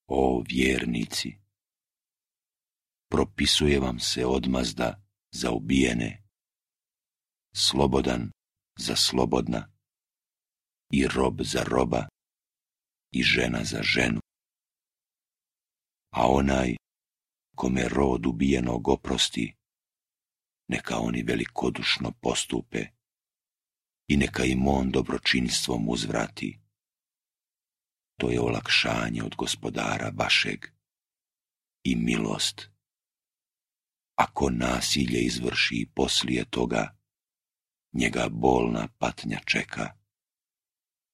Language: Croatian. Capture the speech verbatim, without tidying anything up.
O vjernici, propisuje vam se odmazda za ubijene, slobodan za slobodna, i rob za roba, i žena za ženu. A onaj kome rod ubijenog oprosti, neka oni velikodušno postupe i neka im on dobročinstvom uzvrati. To je olakšanje od Gospodara vašeg i milost. Ako nasilje izvrši poslije toga, njega bolna patnja čeka.